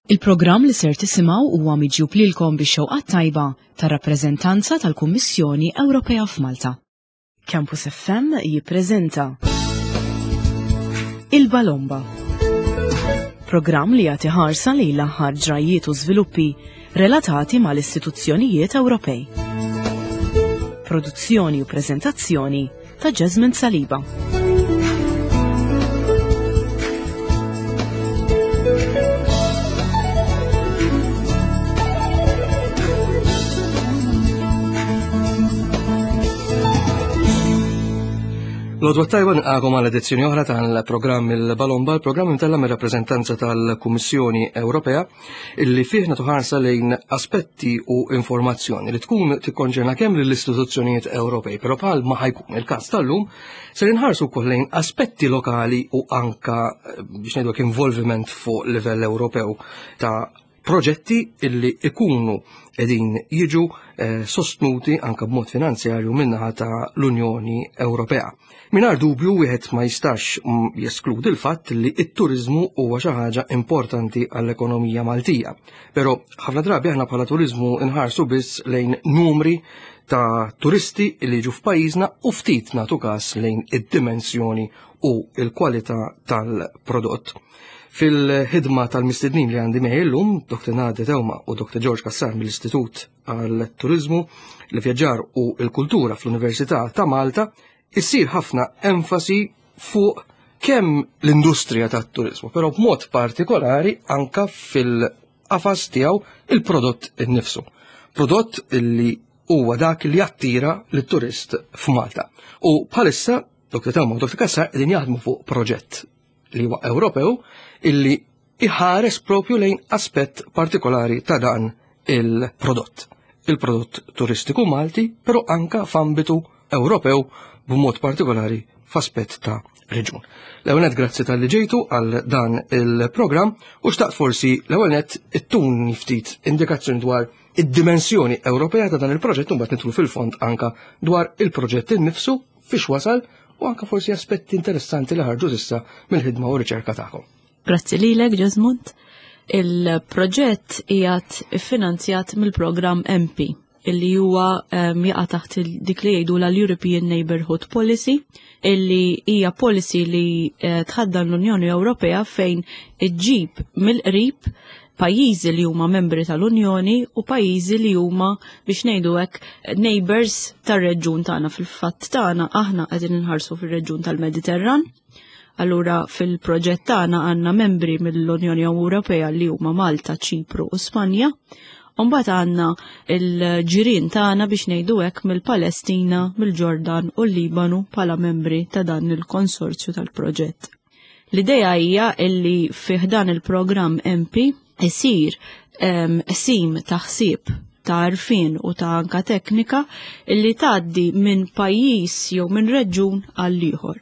Il-programm li ser tisimgħu huwa miġjub lilkom bix-xewqat tajba tar-rappreżentanza tal-Kummissjoni Ewropea f'Malta. Campus FM jippreżenta Il-Balomba. Programm li jagħti ħarsa lejn l-aħħar ġrajjiet u żviluppi relatati mal-istituzzjonijiet Ewropej. Produzzjoni u preżentazzjoni ta' Jasmine Saliba. L-odwa tajba nqagħkom għal edizzjoni oħra tal-programm il-Balomba, il-programm imtella mir-rappreżentanza tal-Kummissjoni Ewropea illi fih nagħtu ħarsa lejn aspetti u informazzjoni li tkun tikkonċerna kemm lill-istituzzjonijiet Ewropej, però bħal ma ħajkun il-każ tal-lum ser inħarsu wkoll lejn aspetti lokali u anka eh, biex ngħidu involviment fuq livell Ewropew ta' proġetti illi ikunu edin jiġu eh, sostnuti anka b'mod finanzjarju minnaħa ta' l-Unjoni Ewropea. Mingħajr dubju wieħed ma jistax mm, jeskludi l-fatt li t-turiżmu huwa xi ħaġa importanti għall-ekonomija Maltija. Però ħafna drabi aħna bħala turiżmu nħarsu biss lejn numri ta' turisti li jiġu f'pajjiżna u ftit nagħtu każ lejn id-dimensjoni u l-kwalità tal-prodott. Fil-ħidma tal-mistednin li għandi miegħi llum, Dr. Nadia Teuma u Dr. George Kassar mill-Istitut għal-Turiżmu, l-Vjaġġar u l-Kultura fl-Università ta' Malta, issir ħafna enfasi fuq kemm l-industrija tat-turiżmu, però b'mod partikolari anka fil-qafas tiegħu il-prodott innifsu. Prodott li huwa dak li jattira lit-turist f'Malta. U bħalissa Dr. Tawma u Dr. Kassar qegħdin jaħdmu fuq proġett li huwa Ewropew illi iħares propju lejn aspett partikolari ta' dan il-prodott. Il-prodott turistiku Malti, però anka f'ambitu Ewropew b'mod partikolari f'aspett ta' reġun. L-ewwel nett grazzi tal-li ġejtu għal dan il-programm u xtaqt forsi l-ewwel nett ittuni ftit indikazzjoni dwar id-dimensjoni Ewropea ta' dan il-proġett u mbagħad nidħlu fil-fond anka dwar il-proġett innifsu fiex wasal u anka forsi aspetti interessanti li ħarġu s'issa mill-ħidma u riċerka tagħkom. Grazzi lilek, Jesmond. Il-proġett qiegħed iffinanzjat mill-programm MP illi huwa ehm, jaqa' taħt dik li jgħidu l-European Neighborhood Policy illi hija policy li eh, tħaddan l-Unjoni Ewropea fejn iġġib mill-qrib pajjiżi li huma membri tal-Unjoni u pajjiżi li huma biex ngħidu hekk neighbors tar-reġjun tagħna fil-fatt tagħna aħna qegħdin inħarsu fir-reġjun tal-Mediterran. Allura fil-proġett tagħna għandna membri mill-Unjoni Ewropea li huma Malta, Ċipru u Spanja. Mbagħad għandna l-ġirien tagħna biex ngħidu hekk mill-Palestina, mill-Ġordan u l-Libanu bħala membri ta' dan il-konsorzju tal-proġett. L-idea hija illi fih dan il-programm MP isir sim ta' ħsieb ta' għarfien u ta' anka teknika illi tgħaddi minn pajjiż jew minn reġjun għal ieħor.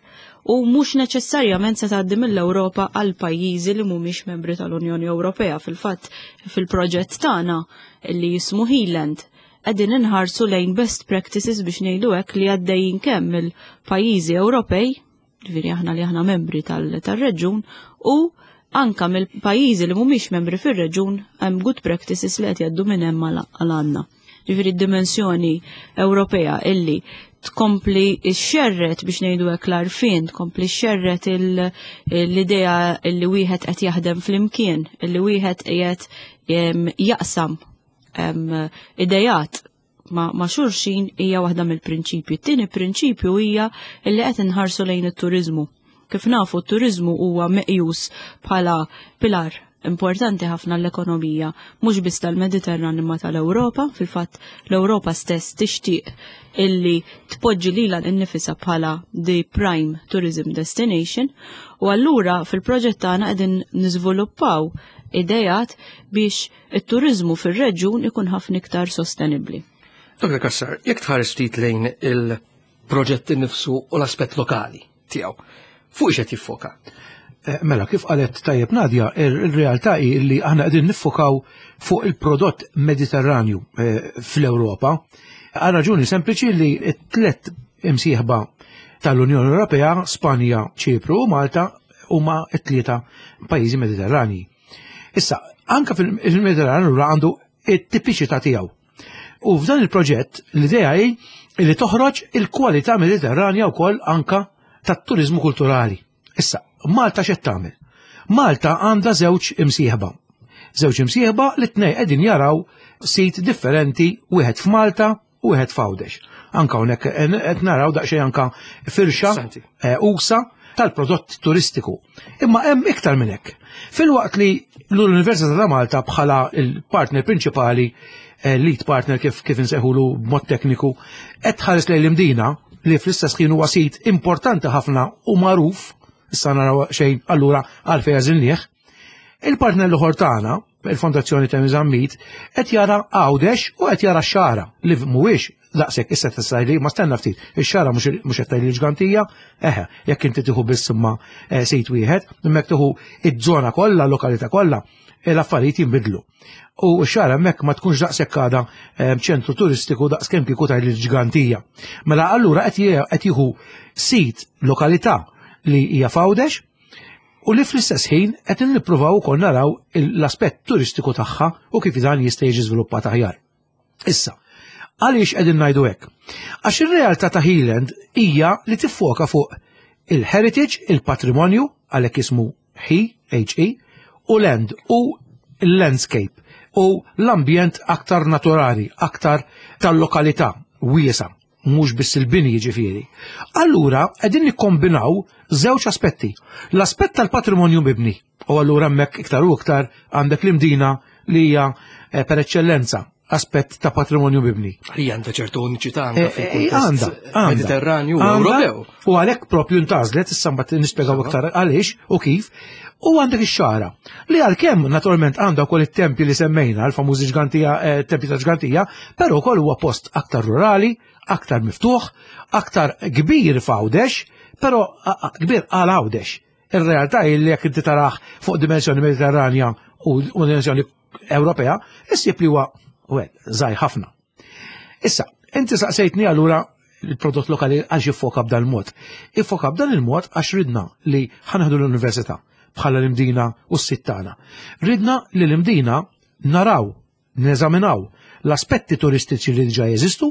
U mhux neċessarjament se tgħaddi mill-Ewropa għal pajjiżi li mhumiex membri tal-Unjoni Ewropea. Fil-fatt fil-proġett tagħna li jismu Healand qegħdin inħarsu lejn best practices biex ngħidu hekk li għaddejjin kemm mill-pajjiżi Ewropej ġifieri aħna li aħna membri tal-reġun, u anka mill-pajjiżi li mhumiex membri fir-reġun hemm good practices li qed jgħaddu minn hemm għal għandna. Ġifieri d-dimensjoni Ewropea illi tkompli xerret biex ngħidu hekk l-arfin, tkompli xerret l-idea illi wieħed qed jaħdem flimkien, illi wieħed qiegħed jaqsam idejat ma, ma xulxin hija waħda mill-prinċipji. Tieni prinċipju hija li qed inħarsu lejn it-turiżmu. Kif nafu t-turiżmu huwa meqjus bħala pilar importanti ħafna l-ekonomija, mhux biss tal-Mediterran imma tal-Ewropa, fil-fatt l-Ewropa stess tixtieq illi tpoġġi lilha nnifisha bħala the prime tourism destination u allura fil-proġett tagħna qegħdin niżviluppaw idejat biex it-turiżmu fir-reġjun ikun ħafna iktar sostenibbli. Dr. Kassar, jekk tħares ftit lejn il-proġett innifsu u l-aspett lokali tiegħu, fuq x'qed jiffoka? Eh, mela, kif qalet tajjeb Nadja, il-realtà hi li aħna qegħdin niffokaw fuq il-prodott Mediterranju eh, fl-Ewropa. Għal raġuni sempliċi li t-tlet imsieħba tal-Unjoni Ewropea, Spanja, Ċipru u Malta huma t-tlieta pajjiżi Mediterranji. Issa, Anka fil-Mediterran allura għandu it-tipiċità tiegħu. U f'dan il-proġett l-idea hi li toħroġ il-kwalità Mediterranja wkoll anka tat-turiżmu kulturali. Issa, Malta x'qed tagħmel? Malta għandha żewġ imsieħba. Żewġ imsieħba li tnej qegħdin jaraw sit differenti, wieħed f'Malta u wieħed f'Għawdex. Anka hawnhekk qed naraw daqsxejn anka firxa eh, usa tal-prodott turistiku. Imma hemm iktar minn hekk. Filwaqt li l-Università ta' Malta bħala il-partner prinċipali, eh, lead partner kif kif insejħulu b'mod tekniku, qed tħares lejn l-Imdina li fl-istess ħin huwa sit importanti ħafna u magħruf, issa naraw xejn allura għalfejn għażilnieh. Il-partner l-oħor tagħna, il-Fondazzjoni Temi Zammit, qed jara Għawdex u qed jara x-Xagħra li mhuwiex daqshekk issa tista' li ma stenna ftit, ix-Xagħra mhux qed tgħid l-ġgantija, eħe, jekk inti tieħu biss imma eh, sit wieħed, imma jekk tieħu iż-żona kollha, l-lokalità kollha, eh, l-affarijiet jinbidlu. U x-Xagħra hemmhekk ma tkunx daqshekk għadha eh, ċentru turistiku daqskemm kieku tgħid l-ġgantija. Mela allura qed jieħu sit lokalità li hija f'Għawdex, u li fl-istess ħin qed nippruvaw ukoll naraw l-aspett turistiku tagħha u kif dan jista' jiġi żviluppat aħjar. Issa, għaliex qegħdin ngħidu hekk? Għax ir-realtà ta' Healand hija li tiffoka fuq il-heritage, il-patrimonju, għalhekk ismu He, H-E, u land u l-landscape u l-ambjent aktar naturali, aktar tal-lokalità wiesa' mhux biss il-bini jiġifieri. Allura qegħdin nikkombinaw żewġ aspetti. L-aspett tal-patrimonju mibni, u allura hemmhekk iktar u iktar għandek l-Imdina li hija eh, per eċċellenza aspett ta' patrimonju mibni. Hija għandha ċertu uniċità anke eh, eh, għandha Mediterranju Ewropew. U għalhekk propju ntażlet, issa mbagħad nispjegaw iktar għaliex u kif, u għandek ix-xara li għalkemm naturalment għandha wkoll it-tempji li semmejna, l-famużi ġgantija, eh, tempji ta' ġgantija, però wkoll huwa post aktar rurali, aktar miftuħ, aktar kbir f'Għawdex, però kbir għal Għawdex. Ir-realtà hi li jekk inti taraħ fuq dimensjoni Mediterranja u dimensjoni Ewropea, issib li huwa żgħir ħafna. Issa, inti saqsejtni allura il-prodott lokali għax jiffoka b'dan il-mod. Iffoka b'dan il-mod għax ridna li ħanħdu l-università bħala l-Imdina u s-sit tagħna. Ridna li l-Imdina naraw, neżaminaw l-aspetti turistiċi li diġà jeżistu,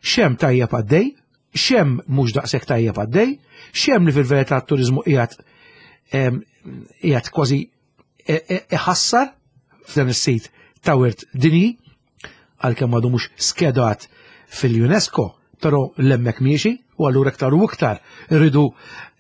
xem tajjeb għaddej, xem mhux daqshekk tajjeb għaddej, xem li fil-verità t-turiżmu qiegħed qiegħed kważi e, e, iħassar f'dan is-sit ta' wirt dinji, għalkemm għadu mhux skedat fil-UNESCO, però l-hemmhekk miexi u allura iktar u iktar irridu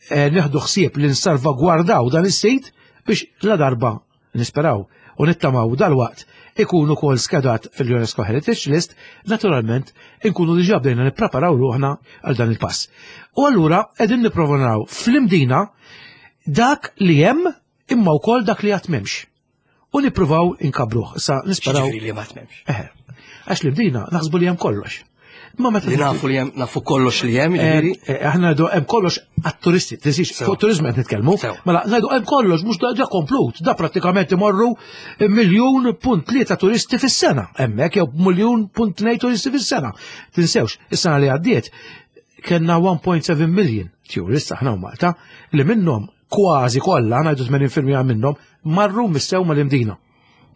eh, nieħdu ħsieb li nsalvagwardaw dan is-sit biex la darba nisperaw u nittamaw dal-waqt ikun ukoll skedat fil-UNESCO Heritage List, naturalment inkunu diġà bdejna nippreparaw ruħna għal dan il-pass. U allura qegħdin nipprova naraw fl-Imdina dak li hemm imma wkoll dak li għad m'hemmx. U nippruvaw inkabruh. Issa nisperaw. Ġifieri li ma tmemx. Eħe. Għax li bdejna naħsbu li hemm kollox. Ma meta li nafu li hemm nafu kollox li hemm, eh, ġifieri. Eh, aħna ngħidu hemm kollox għat-turisti, tinsiex fuq turiżmu qed nitkellmu. Mela ngħidu hemm kollox mhux da komplut, da prattikament imorru miljun punt tlieta turisti fis-sena hemmhekk jew miljun punt tnejn turisti fis-sena. Tinsewx, is-sena li għaddiet kellna 1.7 million tourists aħna u Malta li minnhom kważi kollha, ngħidu 80% minnhom, marru missew mal-Imdina.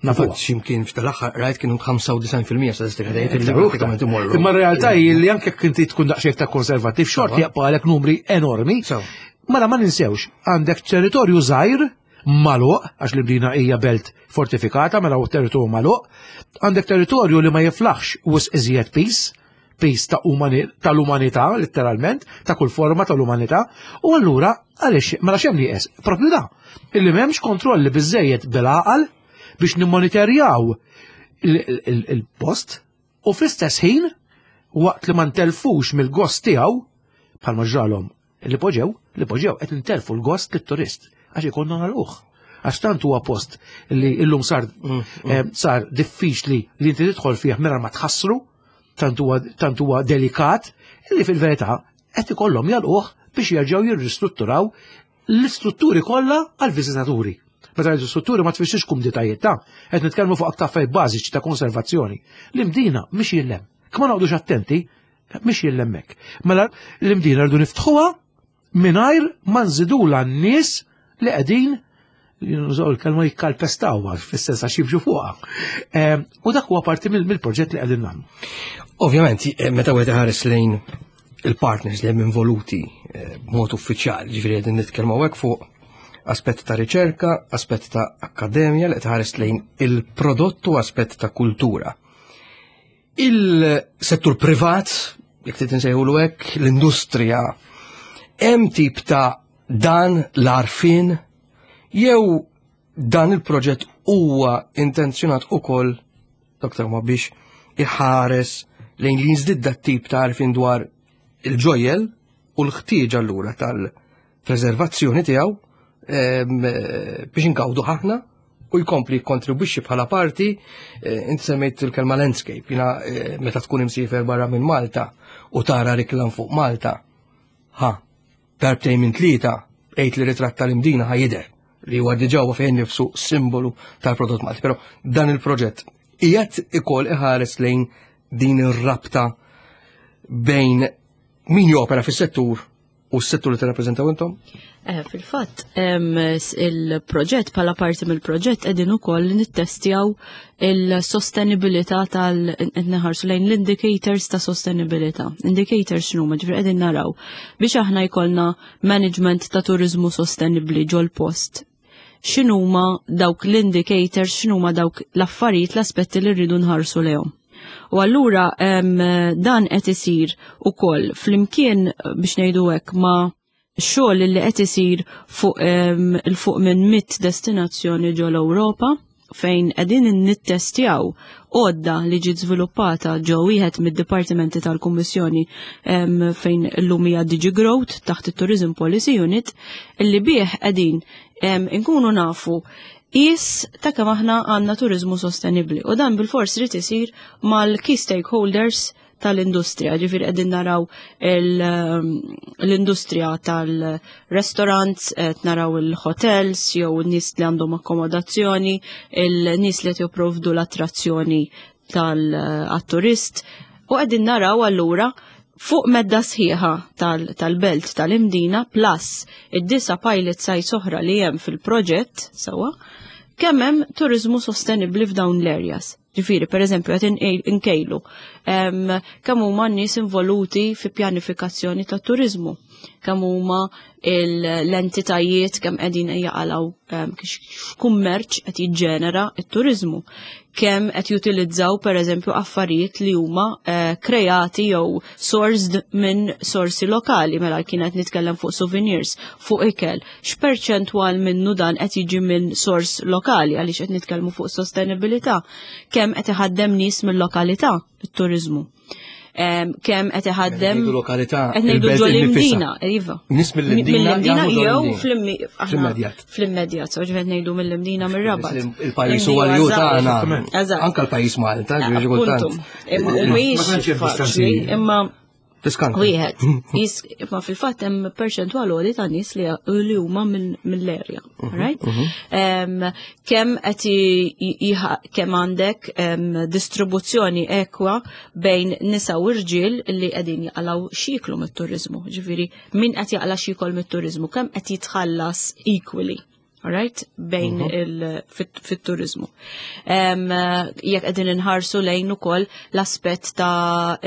Nafu. Ximkien f'tal-aħħar rajt kienu 95% statistika tgħid li pratikament imorru. Imma r-realtà hi li anke jekk inti tkun daqsxejn ta' konservattiv xorti jaqbgħalek numri enormi. Mela ma ninsewx, għandek territorju żgħir magħluq, għax l-Imdina hija belt fortifikata, mela hu territorju magħluq, għandek territorju li ma jiflaħx wisq iżjed pis, pis ta' tal-umanità, letteralment, ta' kull forma tal-umanità, u allura għaliex mela x'hemm nieqes? Propju da, illi m'hemmx kontrolli biżejjed bil-għaqal biex nimmonitorjaw il-post u fl-istess ħin waqt li ma ntelfux mill-gost tiegħu bħalma ġralhom Li poġew, li poġew qed intelfu l-gost lit-turist għax ikollna nagħlquh. Għax tant huwa post li llum sar mm, mm. eh, sar diffiċli li inti tidħol fih mingħajr ma tħassru, tant huwa delikat, li fil-verità qed ikollhom jalquh biex jerġgħu jirristrutturaw l-istrutturi kollha għall-viżitaturi. Meta ngħidu strutturi ma tfissirx kumditajiet ta' qed nitkellmu fuq aktar affarijiet bażiċi ta' konservazzjoni. L-imdina mhix jillem. Kma noqgħodux attenti, Mhix jillemmek. Mela l-imdina rridu niftħuha mingħajr ma nżidula n-nies li qegħdin Nużaw il-kelma jikkalpestaw fis-sens għax jimxu fuqha. U dak huwa parti mill-proġett li qegħdin nagħmlu. Ovvjament, eh, meta wieħed iħares lejn il-partners li hemm involuti eh, b'mod uffiċjali, ġifieri qegħdin nitkellmu hekk fuq aspett ta' riċerka, aspett ta' akkademja li tħares lejn il-prodott u aspett ta' kultura. Il-settur privat, jekk trid insejħulu hekk, l-industrija, hemm tip ta' dan l-arfin jew dan il-proġett huwa intenzjonat ukoll Dr. ma biex iħares lejn li jiżdied dat tip ta' arfin dwar il-ġojjel u l-ħtieġa allura tal-preservazzjoni tiegħu biex ingawdu ħafna u jkompli jikkontribwixxi bħala parti, eh, inti semmejt il-kelma landscape, jina eh, meta tkun imsiefer barra minn Malta u tara riklam fuq Malta, ha, darbtejn minn tlieta, għejt li ritratt tal-Imdina ħa jidher li huwa diġà huwa fejn nifsu simbolu tal-prodott Malti. Però dan il-proġett qiegħed ikoll iħares lejn din ir-rabta bejn min jopera fis-settur u s-settur li tirrappreżentaw intom? Eh, fil-fatt, il-proġett bħala parti mill-proġett qegħdin ukoll nittestjaw il-sostenibilità tal qed neħarsu lejn l-indicators ta' sostenibilità. Indicators x'inhuma ġifier qegħdin naraw biex aħna jkollna management ta' turiżmu sostenibbli ġol-post x'inhuma dawk l-indicators, x'inhuma dawk l-affarijiet, l-aspetti li rridu nħarsu lejhom. U allura dan qed isir ukoll flimkien biex ngħidu hekk ma' xogħol li qed isir fuq il fuq minn mit destinazzjoni ġol Ewropa fejn qegħdin nittestjaw għodda li ġiet żviluppata ġo wieħed mid-dipartimenti tal-Kummissjoni fejn illum hija DG Growth taħt it-Tourism Policy Unit illi bih qegħdin inkunu nafu qis ta' kemm aħna għandna turiżmu sostenibbli u dan bil-fors irid isir mal-key stakeholders tal-industrija, ġifiri qegħdin naraw ehm, l-industrija tal-restaurants, qed naraw il-hotels jew n-nies li għandhom akkomodazzjoni, il-nies li qed jipprovdu l-attrazzjoni tal-turist u qegħdin naraw allura fuq medda sħiħa tal-belt tal tal-Imdina plus id-disa pilot sites oħra li hemm fil-proġett sewwa kemm hemm turiżmu sostenibbli f'dawn l-areas. Ġifieri, per eżempju, qed inkejlu kemm huma n-nies involuti fi pjanifikazzjoni ta' turiżmu, kemm huma l-entitajiet kemm qegħdin jaqalgħu x'kummerċ qed jiġġenera t-turiżmu, kemm qed jutilizzaw per eżempju affarijiet li huma eh, kreati jew sourced minn sorsi lokali, mela kienet nitkellem fuq souvenirs, fuq ikel, x'perċentwal minnu dan qed jiġi minn sors lokali għaliex qed nitkellmu fuq sostenibilità, kemm qed iħaddem nies mill-lokalità it-turiżmu. Kemm qed iħaddem lokalità qed ngħidu ġol-Imdina, iva. Nies mill-Imdina jew fl-immedjat. Fl-immedjat, so ġifier ngħidu mill-Imdina mir-Rabat. Il-pajjiż huwa li tagħna. Anke l-pajjiż Malta, ġifieri kultant. Imma mhijiex faċli, imma Tiskanta. Wieħed, ma fil-fatt hemm perċentwal għoli ta' nies li li huma mill-erja, mhm, right? Mhm. Kemm qed kemm għandek distribuzzjoni ekwa bejn nisa u rġiel li qegħdin jaqalgħu xiklu mit-turiżmu, ġifieri min qed jaqla' xikol mit-turiżmu, kemm qed jitħallas equally right? Bejn mhm. il fit-turizmu. Jekk qegħdin inħarsu lejn ukoll l-aspett ta'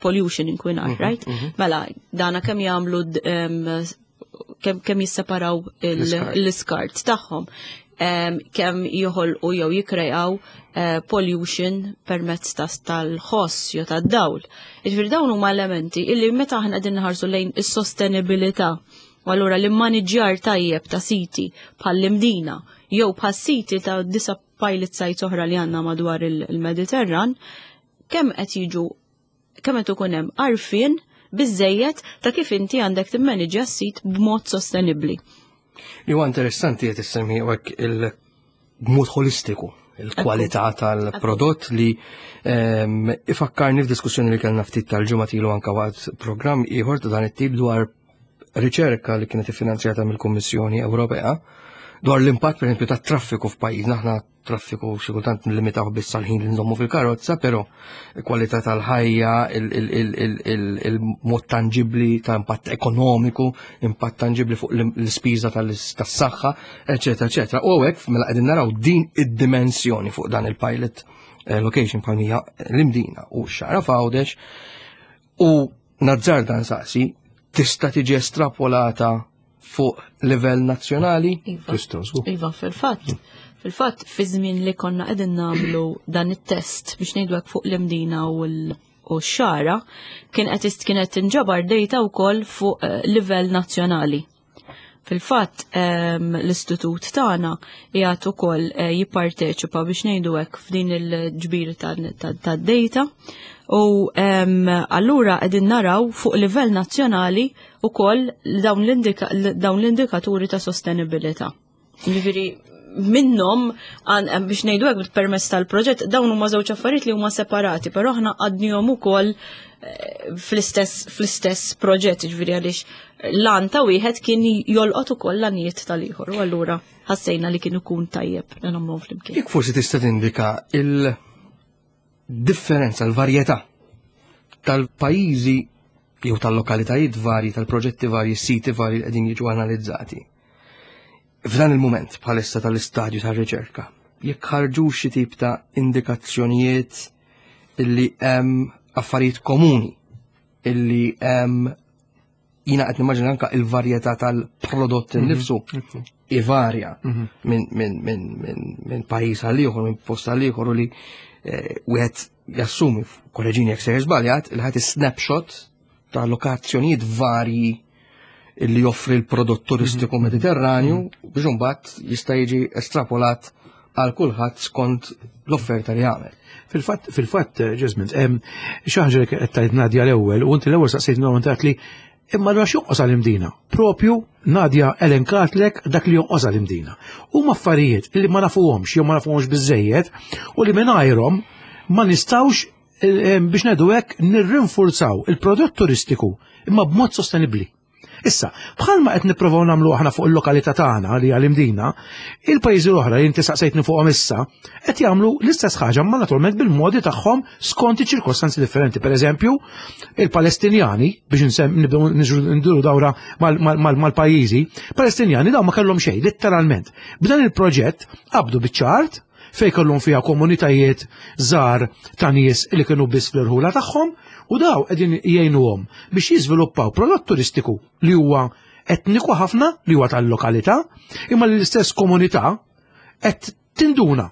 pollution inkwinar, mhm, right? Mhm. Mela, dana kemm jagħmlu kemm jisseparaw l-iskart tagħhom kemm joħolqu jew jikrejaw eh, pollution permezz tal-ħoss jew tad-dawl. Jiġifieri dawn huma elementi illi meta aħna qegħdin nħarsu lejn is-sostenibilità U allura l-immaniġġjar tajjeb ta' siti bħall-Imdina jew bħal siti ta' disa pilot sites oħra li għandna madwar il-Mediterran, kemm qed jiġu kemm qed ikun hemm għarfien biżejjed ta' kif inti għandek timmaniġġja s-sit b'mod sostenibbli. Li huwa interessanti qed issemmi hekk il-mod holistiku il-kwalità tal-prodott li ehm, ifakkarni f'diskussjoni li kellna ftit tal-ġimgħa ilu anke waqt programm ieħor ta' dan it-tip dwar riċerka li kienet iffinanzjata mill-Kummissjoni Ewropea dwar l-impatt pereżempju tat-traffiku f'pajjiżna aħna. Traffiku xi kultant nlimitaw biss għal-ħin li nżommu fil-karozza, però kwalità tal-ħajja, il-mod tangibbli ta' impatt ekonomiku, impatt tangibbli fuq l-ispiża tas-saħħa, eċetera, eċetera. U hekk mela qegħdin naraw din id-dimensjoni fuq dan il-pilot eh, location bħalmija l-Imdina u x-Xagħra f'Għawdex u nazzarda nsaqsi tista' tiġi estrapolata fuq livell nazzjonali? Iva, iva fil-fatt. Fil-fatt, fi żmien li konna qegħdin nagħmlu dan it-test biex ngħidu hekk fuq l-Imdina u l-Xagħra, kien qed kienet tinġabar data wkoll fuq eh, livell nazzjonali. Fil-fatt, ehm, l-istitut tagħna qiegħed ukoll eh, jipparteċipa biex ngħidu hekk f'din il-ġbir tad-data u ehm, allura qegħdin naraw fuq livell nazzjonali ukoll dawn l-indikaturi ta' sostenibilità. Ġifieri minnhom eh, biex ngħidu hekk permezz tal-proġett dawn huma żewġ affarijiet li huma separati, però aħna għadnihom ukoll eh, fl-istess fl-istess proġett, ġifieri għaliex l-għan ta' wieħed kien jolqot ukoll l-għanijiet tal-ieħor u allura ħassejna li kien ikun tajjeb li nagħmluhom flimkien. Jekk forsi tista' tindika il- differenza, l-varjetà tal-pajjiżi jew tal-lokalitajiet varji, tal-proġetti varji, siti varji li qegħdin jiġu analizzati. F'dan il-mument bħalissa tal-istadju tar-riċerka, jekk ħarġu xi tip ta' indikazzjonijiet illi hemm affarijiet komuni illi hemm jina qed nimmaġina anka il-varjetà tal-prodott mhm. innifsu ivarja mhm. minn min, min, min, min pajjiż għal ieħor, minn post għal ieħor u li eh, wieħed jassumi, korreġini jekk sejjer żbaljat, il ħadd snapshot ta' lokazzjonijiet varji li joffri l-prodott turistiku mhm. mediterranju biex imbagħad jista' jiġi estrapolat għal kulħadd skont l-offerta li jagħmel. Fil-fatt, fil-fatt, Ġesmint, xi ħaġa li qed tgħid Nadja l-ewwel, u inti l-ewwel saqsejt minnhom li imma allura x'jonqos għall-Imdina? Propju Nadja elenkatlek dak li jonqos għall-Imdina. Huma affarijiet li ma nafuhomx jew ma nafuhomx biżejjed u li mingħajrhom ma nistgħux biex ngħidu hekk nirrinfurzaw il-prodott turistiku imma b'mod sostenibbli. Issa, bħalma qed nipprovaw nagħmlu aħna fuq il-lokalità tagħna li għal Imdina, il-pajjiżi l-oħra li inti saqsejtni fuqhom issa, qed jagħmlu l-istess ħaġa ma naturalment bil-modi tagħhom skont iċ-ċirkostanzi differenti. Per eżempju, il-Palestinjani, biex nsem nibdew nduru dawra mal-pajjiżi, Palestinjani dawn ma kellhom xejn, letteralment. B'dan il-proġett qabdu biċ-ċart fej kellhom fiha komunitajiet żgħar ta' nies li kienu biss fl-irħula tagħhom u daw qegħdin jgħinuhom biex jiżviluppaw prodott turistiku li huwa etniku ħafna li huwa tal-lokalità, imma li l-istess komunità qed tinduna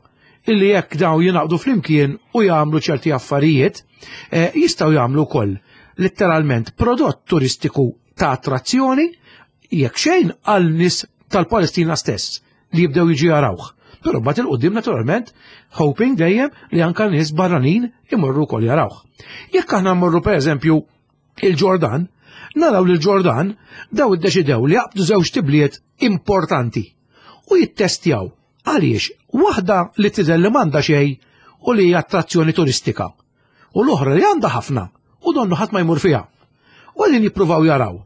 illi jekk daw jingħaqdu flimkien u jagħmlu ċerti affarijiet, eh, jistgħu jagħmlu wkoll letteralment prodott turistiku ta' attrazzjoni jekk xejn għal nies tal-Palestina stess li jibdew jiġu jarawh. Però mbagħad il-qudiem naturalment hoping dejjem li anka nies barranin imorru wkoll jarawh. Jekk aħna mmorru pereżempju il-Ġordan, naraw li l-Ġordan daw iddeċidew li jaqbdu żewġ tibliet importanti u jittestjaw għaliex waħda li tidher li m'għandha xejn u li hija attrazzjoni turistika u l-oħra li għandha ħafna u donnu ħadd ma jmur fiha. U għalin jippruvaw jaraw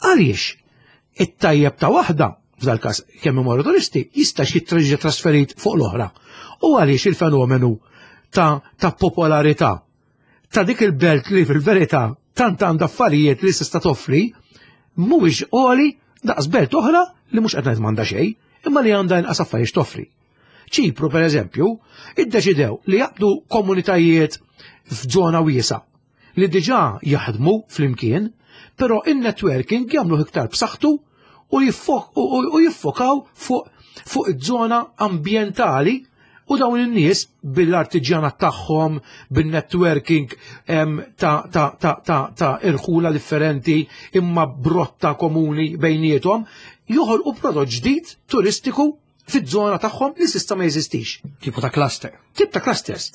għaliex it-tajjeb ta' waħda f'dal każ kemm imorru turisti jista' jitreġġa trasferit fuq l-oħra. U għaliex il-fenomenu ta', ta popolarità ta' dik il-belt li fil-verità tant għandha affarijiet li tista' toffri mhuwiex għoli daqs belt oħra li mhux qed ngħid m'għandha xejn, imma li għandha inqas affarijiet toffri. Ċipru, per eżempju, iddeċidew li jaqbdu komunitajiet f'żona wiesa li diġà jaħdmu flimkien, però in-networking jagħmlu iktar b'saħħtu u jiffokaw fuq fuq iż-żona ambjentali u dawn in-nies bil-artiġjanat tagħhom, bin-networking ta' ta' ta' ta' ta' irħula differenti imma brotta komuni bejniethom, joħolqu prodott ġdid turistiku fiż-żona tagħhom li s'issa ma jeżistix. Tipo ta' cluster. Tip ta' clusters.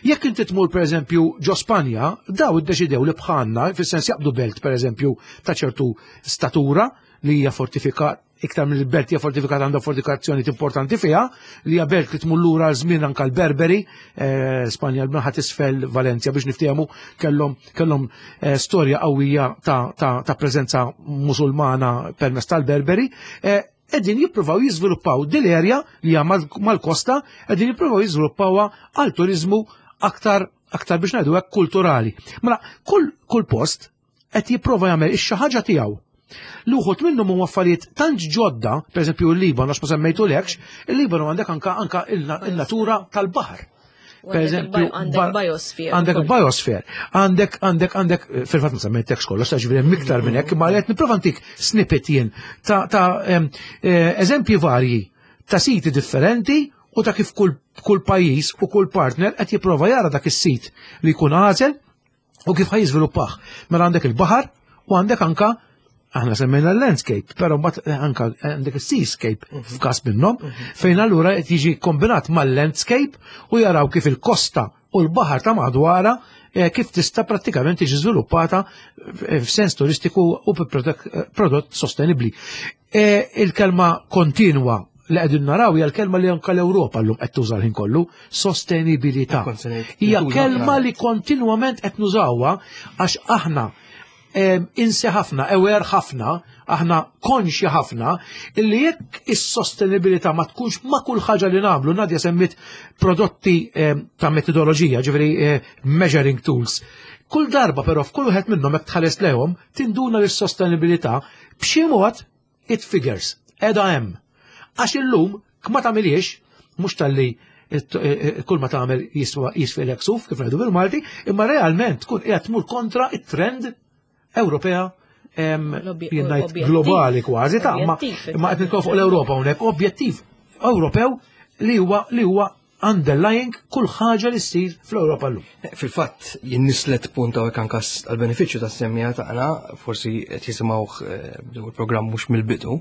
Jekk inti tmur pereżempju ġo Spanja, daw iddeċidew li bħalna, fis-sens jaqbdu belt pereżempju ta' ċertu statura li hija fortifikat iktar mill belt hija fortifikata għandha fortifikazzjoni importanti fiha, li hija belt li tmur lura żmien anke l-Berberi, eh, Spanja l-naħa tisfel Valencia biex niftehmu kellhom kellhom eh, storja qawwija ta', ta, ta preżenza musulmana permezz tal-Berberi. Eh, qegħdin jippruvaw jiżviluppaw din l-erja li hija mal-kosta, qegħdin jippruvaw jiżviluppawha għal turiżmu aktar aktar biex ngħidu hekk kulturali. Mela kull kull post qed jipprova jagħmel ix-xi ħaġa tiegħu. L-uħut minnhom huma affarijiet tant ġodda, pereżempju l-Libanu għax ma semmejtulekx, il-Libanu għandek anka anka il-natura tal-baħar. Per eżempju, għandek biosphere. Għandek biosphere. Għandek, għandek, għandek, fil-fatt ma semmejtekx kollox, ta' ġifieri hemm iktar minn hekk, ma qed nipprova ntik snippet jien ta' eh, eżempji varji ta' siti differenti u ta' kif kull, kull pajjiż u kull partner qed jipprova jara dak is-sit li jkun għażel u kif ħaj jiżviluppah. Mela għandek il-baħar u għandek anka aħna semmejna l-landscape, però mbagħad eh, anka għandek is-seascape mhm. f'każ minnhom, mhm. fejn allura qed jiġi kombinat mal-landscape u jaraw kif il-kosta u l-baħar ta' madwara eh, kif tista' prattikament tiġi żviluppata eh, f'sens turistiku u prodott sostenibbli. Il-kelma kontinwa li qegħdin naraw hija l-kelma li anke l-Ewropa llum qed tuża l-ħin kollu, sostenibilità. Hija kelma li kontinwament qed nużawha għax aħna insi ħafna, aware ħafna, aħna konxi ħafna, illi jekk is-sostenibilità ma tkunx ma kull ħaġa li nagħmlu, Nadja semmit prodotti ta' metodoloġija, ġifieri eh, measuring tools. Kull darba però f'kull wieħed minnhom hekk tħares lehom, tinduna li s-sostenibilità b'xi mod it figures, edha hemm. Għax illum ma tagħmiliex, mhux talli kull ma tagħmel jisfilek suf kif ngħidu bil-Malti, imma realment tkun qiegħed tmur kontra it-trend Ewropea jien ngħid globali kważi ta' ma imma qed nitkellmu fuq l-Ewropa hawnhekk objettiv Ewropew li huwa li huwa underlying kull ħaġa li ssir fl-Ewropa llum. Fil-fatt, jinnislet punt hawnhekk anke għall-benefiċċju tas-semmija tagħna, forsi qed jisimgħuh eh, bdew il-programm mhux mill-bidu.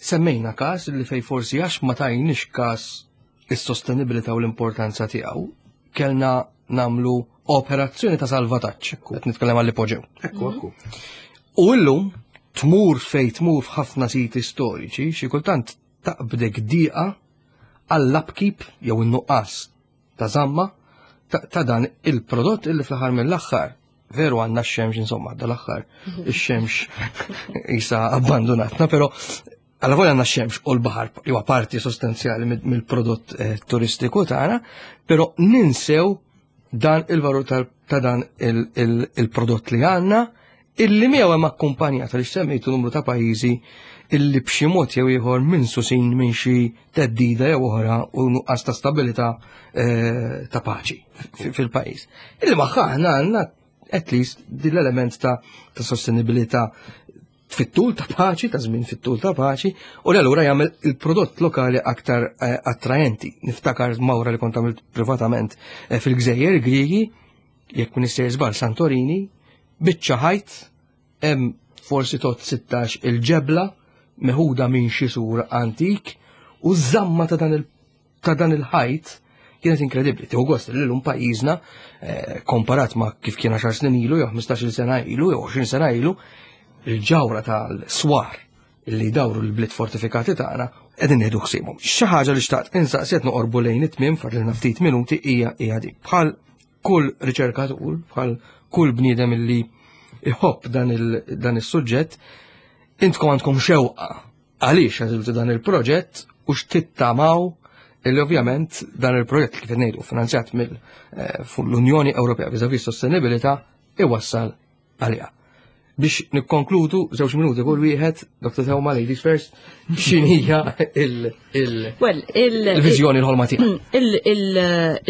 Semmejna każ li fej forsi għax ma tajniex każ is-sostenibilità u l-importanza tiegħu, kellna namlu operazzjoni ta' salvataġġ. Qed nitkellem għall ipoġew. Ekku, ekku. U llum tmur fej tmur f'ħafna siti storiċi, xi kultant taqbdek diqa għall-upkeep jew in-nuqqas ta' żamma ta' dan il-prodott illi fl-aħħar mill-aħħar veru għandna x-xemx insomma dal-aħħar ix-xemx isa abbandonatna, però għalla volja għandna x-xemx u l-baħar huwa parti sostanzjali mill-prodott eh, turistiku tagħna, però ninsew dan il-valur ta' dan il-prodott li għandna illi miegħu hemm akkumpanjat għaliex semmejtu numru ta' pajjiżi illi b'xi mod jew ieħor minn susin minn xi teddida jew oħra u nuqqas ta' stabilità eh, ta' paċi fil-pajjiż. Illi magħha aħna għandna at least din l-element ta' sostenibilità fit-tul ta' paċi, ta' żmien fit-tul ta' paċi, u li allura jagħmel il-prodott lokali aktar eh, attraenti. Niftakar mawra li kont għamilt privatament eh, fil-Gżejjer Griegi, jekk Minister żball Santorini, biċċa ħajt hemm forsi tot 16 il-ġebla meħuda minn xi sur antik u żamma ta' dan il ta' dan il-ħajt kienet inkredibbli. Tieħu gost li llum pajjiżna eh, komparat ma' kif kien 10 snin ilu jew 15-il sena ilu jew 20 sena ilu, il-ġawra tal-swar li dawru l-bliet fortifikati tagħna qegħdin nieħdu ħsiebhom. Xi ħaġa li xtaqt insaqsi qed noqorbu lejn it-tmiem fadlilna ftit minuti hija hija dik. Bħal kull riċerkatur, bħal kull bniedem illi iħobb dan is-suġġett, intkom għandkom xewqa għaliex għażiltu dan il-proġett u x'tittamaw illi ovvjament dan il-proġett kif ngħidu finanzjat mill-Unjoni eh, Ewropea viżavi sostenibilità iwassal għaliha. Biex nikkonkludu żewġ minuti kull wieħed, Dr. Theuma, ladies first, x'inhija il-viżjoni l-ħolma tiegħek.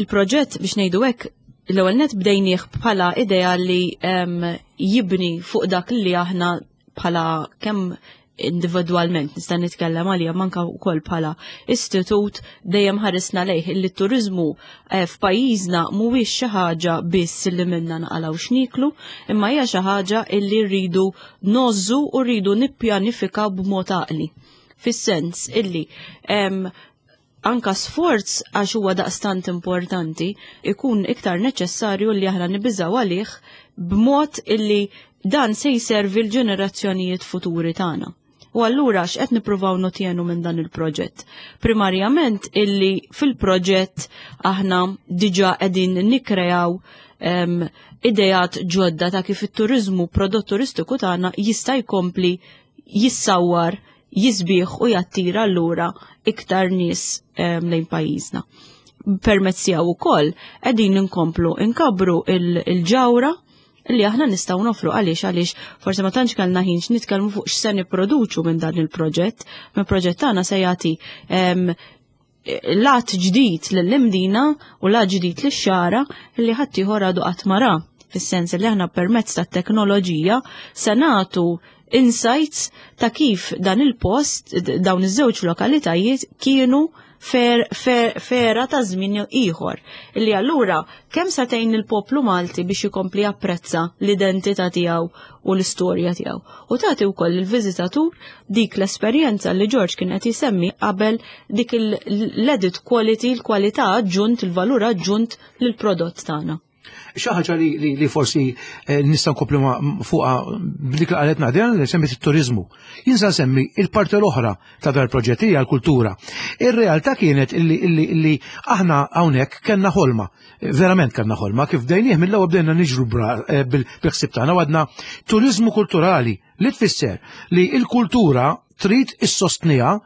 Il-proġett biex ngħidu hekk l-ewwel net bdejnieh bħala idea li jibni fuq dak li aħna bħala kemm individwalment nista' nitkellem għalija manka wkoll bħala istitut dejjem ħarisna lejh li t-turiżmu eh, f'pajjiżna mhuwiex xi ħaġa biss li minna naqalgħu x'niklu, imma hija xi ħaġa illi rridu nożżu u rridu nippjanifikaw b'mod għaqli. Fis-sens illi anka sforz għax huwa daqstant importanti ikun iktar neċessarju li aħna nibiżaw għalih b'mod illi dan se jservi l-ġenerazzjonijiet futuri tagħna. U allura x'qed nippruvaw notjenu minn dan il-proġett? Primarjament illi fil-proġett aħna diġà qegħdin nikkreaw um, idejat ġodda ta' kif it-turizmu, prodott turistiku tagħna jista' jkompli jissawwar, jisbieħ u jattira allura iktar nies lejn pajjiżna. Permezz tiegħu wkoll qegħdin inkomplu inkabbru il-ġawra li aħna nistgħu nofru għaliex għaliex forsi ma tantx kellna ħin nitkellmu fuq x'se nipproduċu minn dan il-proġett. Minn proġett tagħna se jagħti lat ġdid lill-Imdina u lat ġdid lix-Xagħra li ħaddieħor għadu qatt ma ra. Fis-sens li aħna permezz tat-teknoloġija se nagħtu insights ta' kif dan il-post, dawn iż-żewġ lokalitajiet kienu fer, fer, fera ta' żmien ieħor. Illi allura kemm se tgħin il-poplu Malti biex ikompli japprezza l-identità tiegħu u l-istorja tiegħu. U tagħti wkoll il-viżitatur dik l-esperjenza li George kien qed jisemmi qabel dik l-added quality, l-kwalità aġġunt, il-valur aġġunt lill-prodott tagħna. Xi ħaġa li, li, li forsi eh, nista' nkompli fuqha b'dik li qalet Nadia li semmit it-turiżmu. Jien se nsemmi il-parti l-oħra ta' dar proġett hija l-kultura. Ir-realtà kienet illi, illi, illi aħna hawnhekk kellna ħolma, verament kellna ħolma, kif bdejnieh mill-ewwel bdejna niġru eh, bil-ħsieb tagħna għadna turiżmu kulturali li tfisser li l-kultura trid issostniha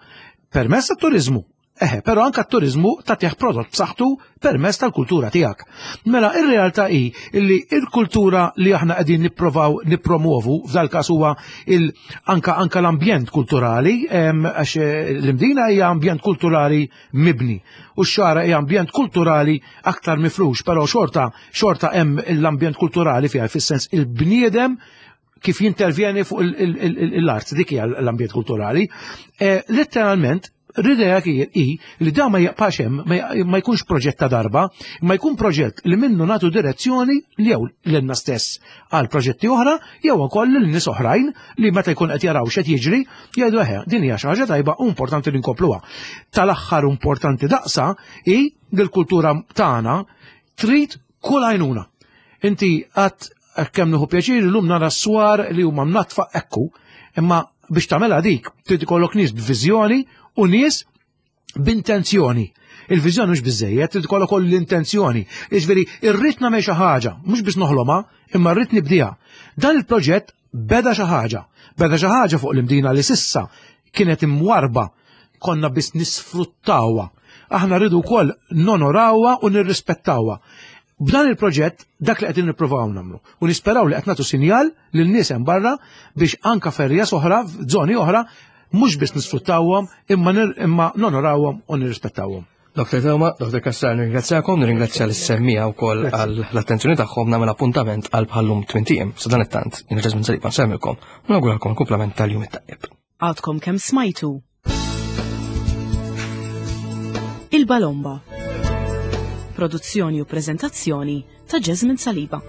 permezz tat-turiżmu. Eħe, però anka t-turizmu tagħtih prodott b'saħħtu permezz tal-kultura tiegħek. Mela ir-realtà hi li l-kultura li aħna qegħdin nipprovaw nippromovu f'dal każ huwa il anka anka l-ambjent kulturali għax eh, l-Imdina hija ambjent kulturali mibni u x-Xagħra hija ambjent kulturali aktar mifrux, però xorta xorta hemm l-ambjent kulturali fiha fis-sens il-bniedem kif jintervjeni fuq l-art, dik hija l-ambjent kulturali. Eh, letteralment, l-idea hi li da ma jaqpax hemm, ma jkunx proġett ta' darba, ma jkun proġett li minnu nagħtu direzzjoni li jew lilna stess għal proġetti oħra jew ukoll lil nies oħrajn li meta jkun qed jaraw x'qed jiġri jgħidu eħe din hija xi ħaġa tajba u importanti li nkompluha. Tal-aħħar importanti daqsa hi li l-kultura tagħna trid kull għajnuna. Inti għat kemm nieħu pjaċir illum nara s-swar li huma mnatfa ekku, imma biex tagħmilha dik trid ikollok nies b'viżjoni u nies b'intenzjoni. Il-viżjoni mhux biżejjed, trid ikollok ukoll l-intenzjoni. Jiġifieri irrid nagħmel xi ħaġa, mhux biex noħlomha, imma rrid nibdiha. Dan il-proġett beda xi ħaġa. Beda xi ħaġa fuq l-Imdina li sissa kienet imwarba konna biss nisfruttawha. Aħna rridu wkoll nonorawha u nirrispettawha. B'dan il-proġett dak li qegħdin nippruvaw nagħmlu u nisperaw li qed nagħtu sinjal lil nies hemm barra biex anka ferjas oħra, f'żoni oħra, mhux biss nisfruttawhom imma imma nonorawhom u nirrispettawhom. Dr. Tewma, Dr. Kassar, nirringrazzjakom, nirringrazzja l-semmija u koll għall-attenzjoni tagħhom nagħmel appuntament għal bħallum 20 Sa dan it-tant, jien Ġazmin Saliba nsemmilkom, u nawguralkom kumplament tal-jum it-tajjeb. Għadkom kemm smajtu. Il-Balomba. Produzzjoni u prezentazzjoni ta' Jasmine Saliba.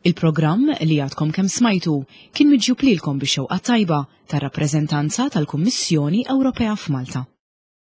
Il-programm li għadkom kemm smajtu kien miġjub lilkom bix-xewqa tajba tar-rappreżentanza tal-Kummissjoni Ewropea f'Malta.